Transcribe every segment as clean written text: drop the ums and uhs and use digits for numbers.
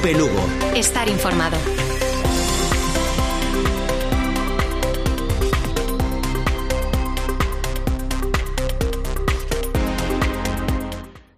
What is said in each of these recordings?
Cope Lugo. Estar informado.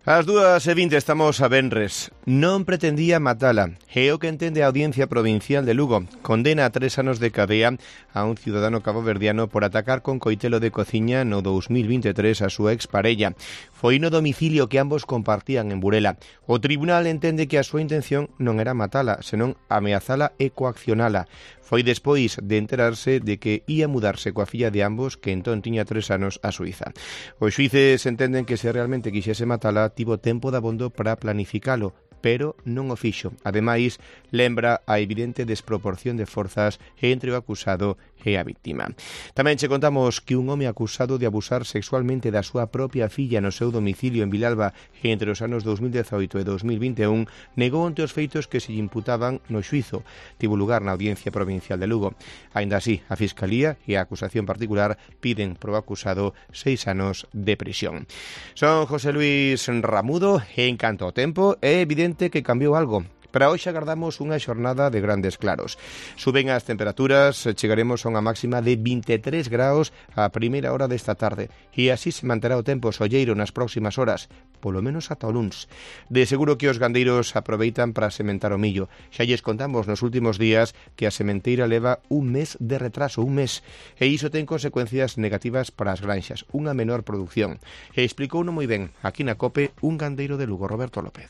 Ás 2:20 estamos a venres. Non pretendía matala. É o que entende a Audiencia Provincial de Lugo. Condena a 3 anos de cadea a un ciudadano caboverdiano por atacar con coitelo de cociña no 2023 a súa exparella. Foi no domicilio que ambos compartían en Burela. O tribunal entende que a súa intención non era matala, senón ameazala e coaccionala. Foi despois de enterarse de que ia mudarse coa filla de ambos, que entón tiña 3 anos, a Suiza. Os xuíces entenden que se realmente quixese matala, tivo tempo dabondo para planificalo, pero non o fixo. Ademais, lembra a evidente desproporción de forzas entre o acusado e a víctima. Tamén che contamos que un home acusado de abusar sexualmente da súa propia filla no seu domicilio en Vilalba entre os anos 2018 e 2021 negou ante os feitos que se lle imputaban no xuízo. Tivo lugar na Audiencia Provincial de Lugo. Aínda así, a Fiscalía e a acusación particular piden pro acusado 6 anos de prisión. Son José Luis Ramudo e en canto ao tempo é evidente que cambiou algo. Para hoxe agardamos unha xornada de grandes claros. Suben as temperaturas, chegaremos a unha máxima de 23 graus a primeira hora desta tarde e así se manterá o tempo solleiro nas próximas horas, polo menos ata o luns. De seguro que os gandeiros aproveitan para sementar o millo. Xa lles contamos nos últimos días que a sementeira leva un mes de retraso, un mes, e iso ten consecuencias negativas para as granxas, unha menor produción. E explicouno moi ben aquí na COPE un gandeiro de Lugo, Roberto López.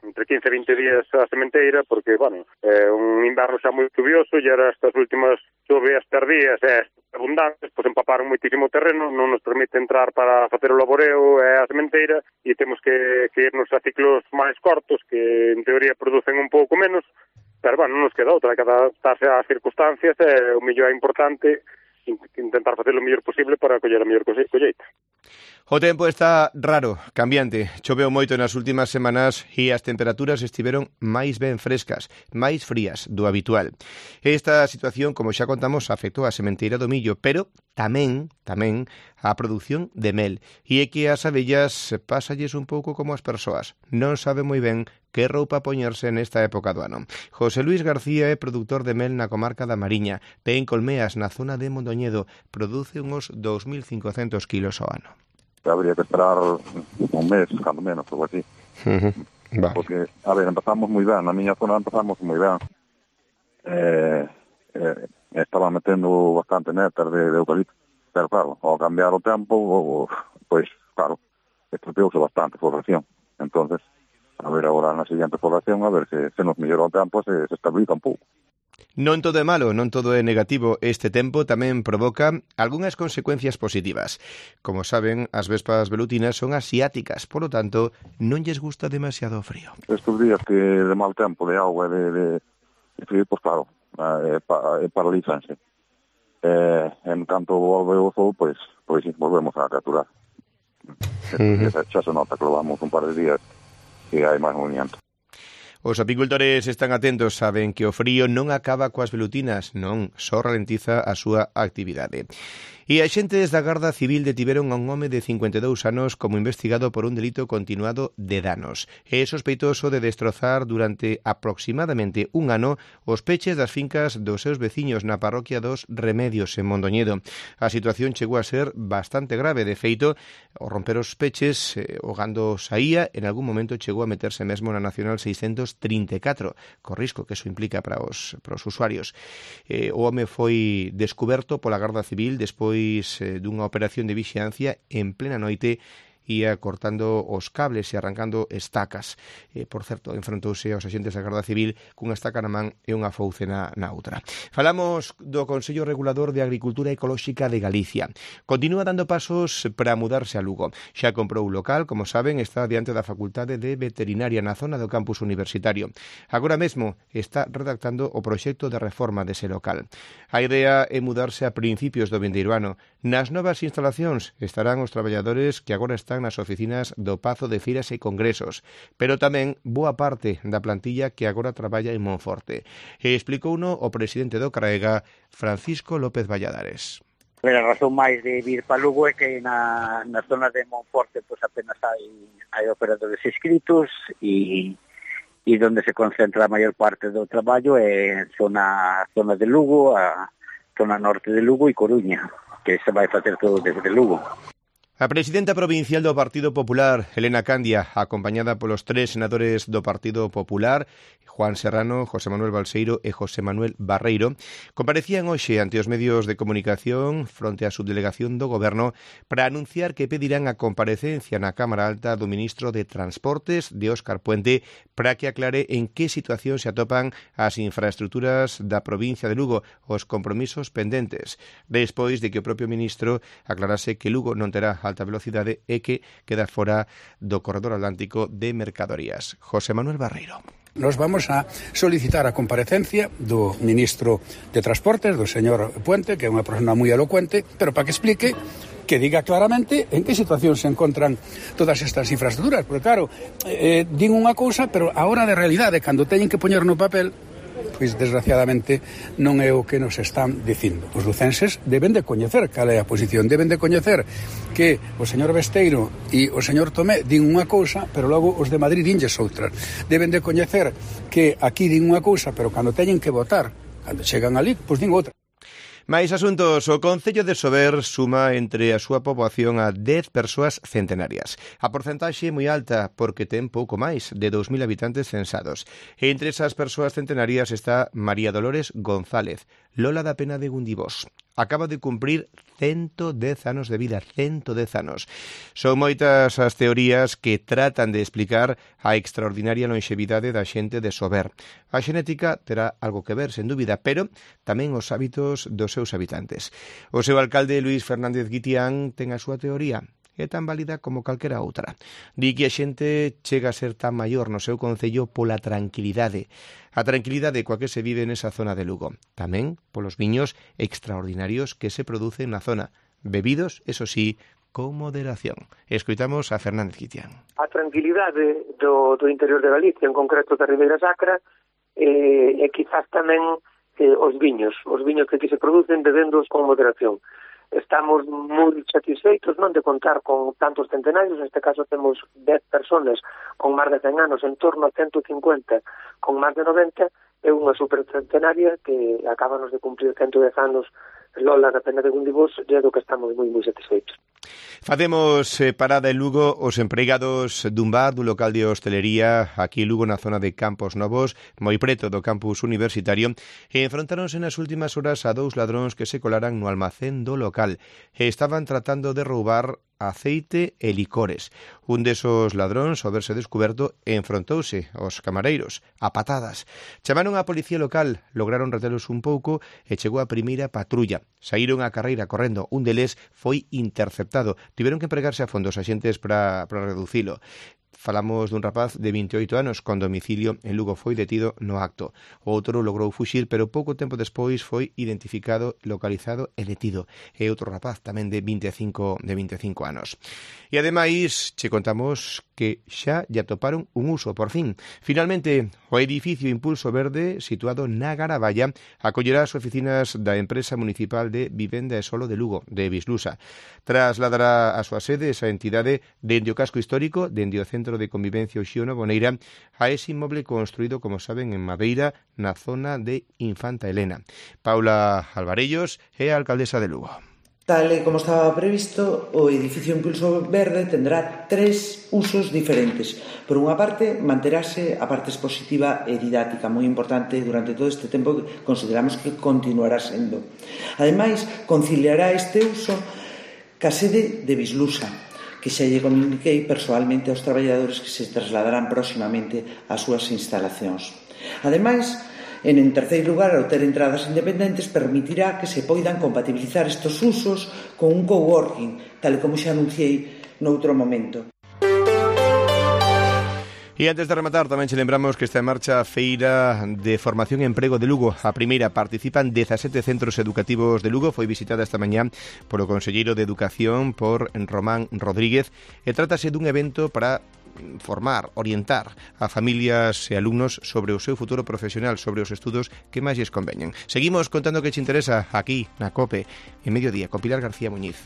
Entre 15 e 20 días a sementeira, porque, un inverno xa moi chuvioso e era estas últimas choveas tardías e abundantes, pois empaparon moitísimo terreno, non nos permite entrar para facer o laboreo e a sementeira e temos que irnos a ciclos máis cortos que en teoría producen un pouco menos, pero, non nos queda outra, que adaptarse ás circunstancias e o mellor é importante intentar facer o mellor posible para coller a mellor colleita. O tempo está raro, cambiante. Choveu moito nas últimas semanas e as temperaturas estiveron máis ben frescas, máis frías do habitual. Esta situación, como xa contamos, afectou a sementeira do millo, pero tamén a produción de mel. E é que as abellas pásalles un pouco como as persoas. Non sabe moi ben que roupa poñerse nesta época do ano. José Luis García é produtor de mel na comarca da Mariña. Ten colmeas na zona de Mondoñedo. Produce uns 2.500 kilos ao ano. Habría que esperar un mes, cando menos, algo así. Vale. Porque, empezamos moi ben, na miña zona empezamos moi ben. Estaba metendo bastante néctar de eucalipto, pero claro, ao cambiar o tempo, pois, claro, estropeouse bastante a floración. Entonces, a ver agora na seguinte floración, a ver se nos mellora o tempo, se estabiliza un pouco. Non todo é malo, non todo é negativo. Este tempo tamén provoca algunhas consecuencias positivas. Como saben, as vespas velutinas son asiáticas, polo tanto, non lles gusta demasiado o frío. Estes días que de mal tempo, de agua e de frío, pois claro, paralízanse. En canto volve o sol, pois volvemos a capturar. Xa se nota que levamos un par de días que hai máis movimiento. Os apicultores están atentos, saben que o frío non acaba coas velutinas, non, só ralentiza a súa actividade. E axentes da Garda Civil detiveron a un home de 52 anos como investigado por un delito continuado de danos. É sospeitoso de destrozar durante aproximadamente un ano os peches das fincas dos seus veciños na parroquia dos Remedios en Mondoñedo. A situación chegou a ser bastante grave. De feito, ao romper os peches, o gando saía, en algún momento chegou a meterse mesmo na Nacional 634, co risco que eso implica para os usuarios. O home foi descuberto pola Garda Civil despois dunha operación de vixiancia en plena noite, ia cortando os cables e arrancando estacas. Por certo, enfrontouse aos axentes da Garda Civil cunha estaca na man e unha fouce na outra. Falamos do Consello Regulador de Agricultura Ecolóxica de Galicia. Continúa dando pasos para mudarse a Lugo. Xa comprou un local, como saben, está diante da Facultade de Veterinaria na zona do campus universitario. Agora mesmo está redactando o proxecto de reforma dese local. A idea é mudarse a principios do vindeiro ano. Nas novas instalacións estarán os traballadores que agora están nas oficinas do Pazo de Feiras e Congresos, pero tamén boa parte da plantilla que agora traballa en Monforte. E explicouno o presidente do CRAEGA, Francisco López Valladares. A razón máis de vir para Lugo é que na zona de Monforte pois apenas hai operadores inscritos e e onde se concentra a maior parte do traballo é zona de Lugo, a zona norte de Lugo e Coruña, que se vai facer todo desde Lugo. A presidenta provincial do Partido Popular, Elena Candia, acompañada polos 3 senadores do Partido Popular, Juan Serrano, José Manuel Balseiro e José Manuel Barreiro, comparecían hoxe ante os medios de comunicación fronte á subdelegación do Goberno para anunciar que pedirán a comparecencia na Cámara Alta do ministro de Transportes, de Óscar Puente, para que aclare en que situación se atopan as infraestructuras da provincia de Lugo, os compromisos pendentes, despois de que o propio ministro aclarase que Lugo non terá alta velocidade e que queda fora do corredor atlántico de mercadorías. José Manuel Barreiro. Nos vamos a solicitar a comparecencia do ministro de Transportes, do señor Puente, que é unha persona moi elocuente, pero para que explique, que diga claramente en que situación se encontran todas estas infraestructuras. Porque claro, din unha cousa, pero a hora de realidade, cando teñen que poñer no papel, pois desgraciadamente non é o que nos están dicindo. Os lucenses deben de coñecer cal é a posición, deben de coñecer que o señor Besteiro e o señor Tomé din unha cousa, pero logo os de Madrid dinlles outras. Deben de coñecer que aquí din unha cousa, pero cando teñen que votar, cando chegan ali, pois din outra. Mais asuntos, o Concello de Sober suma entre a súa poboación a 10 persoas centenarias. A porcentaxe é moi alta porque ten pouco máis de 2.000 habitantes censados. E entre esas persoas centenarias está María Dolores González, Lola da Pena de Gundibós. Acaba de cumprir 110 anos de vida, 110 anos. Son moitas as teorías que tratan de explicar a extraordinaria longevidade da xente de Sober. A xenética terá algo que ver, sen dúbida, pero tamén os hábitos dos seus habitantes. O seu alcalde, Luís Fernández Guitián, ten a súa teoría. É tan válida como calquera outra. Di que a xente chega a ser tan maior no seu concello pola tranquilidade. A tranquilidade coa que se vive nesa zona de Lugo. Tamén polos viños extraordinarios que se producen na zona. Bebidos, eso sí, con moderación. Escoitamos a Fernández Guitián. A tranquilidade do interior de Galicia, en concreto da Ribeira Sacra, e quizás tamén os viños que aquí se producen bebendos con moderación. Estamos moi satisfeitos non de contar con tantos centenarios, neste caso temos 10 personas con máis de 100 anos, en torno a 150 con máis de 90, é unha supercentenaria que acabanos de cumprir 110 anos. Lola da Pena de Gundibós, e do que estamos moi satisfeitos. Facemos parada en Lugo os empregados dun bar, dun local de hostelería aquí en Lugo na zona de Campos Novos, moi preto do campus universitario, e enfrontáronse nas últimas horas a 2 ladróns que se colaran no almacén do local e estaban tratando de roubar aceite e licores. Un desos ladróns, ao verse descuberto, enfrontouse aos camareiros, a patadas. Chamaron á policía local, lograron retelos un pouco e chegou a primeira patrulla. Saíron á carreira correndo, un deles foi interceptado. Tiveron que empregarse a fondo os axentes para reducilo. Falamos dun rapaz de 28 anos con domicilio en Lugo, foi detido no acto. O outro logrou fuxir, pero pouco tempo despois foi identificado, localizado e detido. E outro rapaz tamén de 25 anos. E ademais, che contamos que xa lle atoparon un uso, por fin. Finalmente, o edificio Impulso Verde, situado na Garaballa, acollerá as oficinas da empresa municipal de Vivenda e Solo de Lugo, de Bislusa. Trasladará a súa sede esa entidade dende o casco histórico, dende o Centro de Convivencia Uxío Boneira, a ese inmoble construído, como saben, en madeira na zona de Infanta Elena. Paula Alvarellos é a alcaldesa de Lugo. Tal e como estaba previsto, o edificio Impulso Verde tendrá 3 usos diferentes. Por unha parte, manterase a parte expositiva e didáctica, moi importante durante todo este tempo que consideramos que continuará sendo. Ademais, conciliará este uso ca sede de Bislusa, que xa lle comuniquei persoalmente aos traballadores que se trasladarán próximamente ás súas instalacións. Ademais, en terceiro lugar, ao ter entradas independentes, permitirá que se poidan compatibilizar estes usos con un coworking, tal como xa anunciei noutro momento. E antes de rematar, tamén che lembramos que está en marcha a Feira de Formación e Emprego de Lugo. A primeira participan 17 centros educativos de Lugo. Foi visitada esta mañá polo conselleiro de Educación, por Román Rodríguez, e trátase dun evento para formar, orientar a familias e alumnos sobre o seu futuro profesional, sobre os estudos que máis lles conveñen. Seguimos contando que che interesa aquí na COPE, en Mediodía, con Pilar García Muñiz.